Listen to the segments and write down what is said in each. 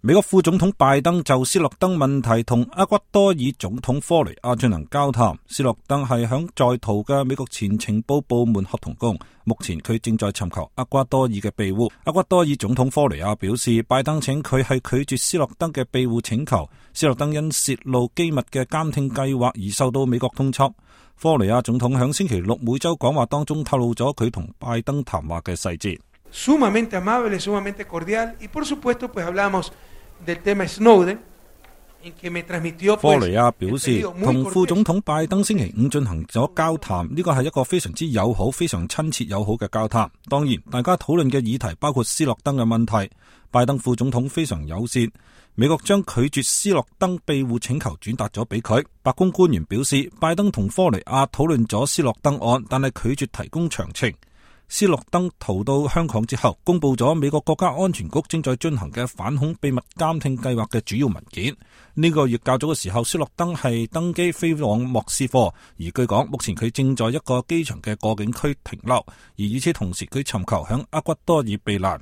美國副總統拜登就斯諾登問題同厄瓜多爾總統科雷亞進行交談。斯諾登係響在逃嘅美國前情報部門合同工，目前佢正在尋求厄瓜多爾嘅庇護。厄瓜多爾總統科雷亞表示，拜登請佢係拒絕斯諾登嘅庇護請求。斯諾登因泄露機密嘅監聽計劃而受到美國通緝。科雷亞總統響星期六每週講話當中透露咗佢同拜登談話嘅細節。Sumamente amable, sumamente cordial, y por supuesto, pues hablamos del tema Snowden, en que me transmitió. 科雷亞表示，同副總統拜登星期五進行咗交談，呢個係一個非常之友好、非常親切友好嘅交談。當然，大家討論嘅議題包括斯諾登嘅問題。拜登副總統非常友善，美國將拒絕斯諾登庇護請求轉達咗俾佢。白宮官員表示，拜登同科雷亞討論咗斯諾登案，但係拒絕提供詳情。斯諾登逃到香港之後，公布咗美國國家安全局正在進行嘅反恐秘密監聽計劃嘅主要文件。呢個月較早嘅時候，斯諾登係登機飛往莫斯科，而據講目前佢正在一個機場嘅過境區停留，而與此同時佢尋求向厄瓜多爾避難。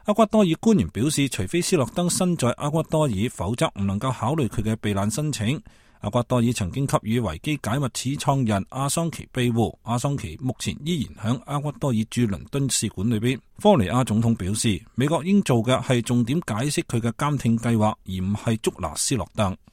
厄瓜多爾官員表示，除非斯諾登身在厄瓜多爾，否則唔能夠考慮佢嘅避難申請。厄瓜多爾曾經給予維基解密始創人阿桑奇庇護，阿桑奇目前依然響厄瓜多爾駐倫敦使館裏邊。科雷亞總統表示，美國應做嘅係重點解釋佢嘅監聽計劃，而唔係捉拿斯諾登。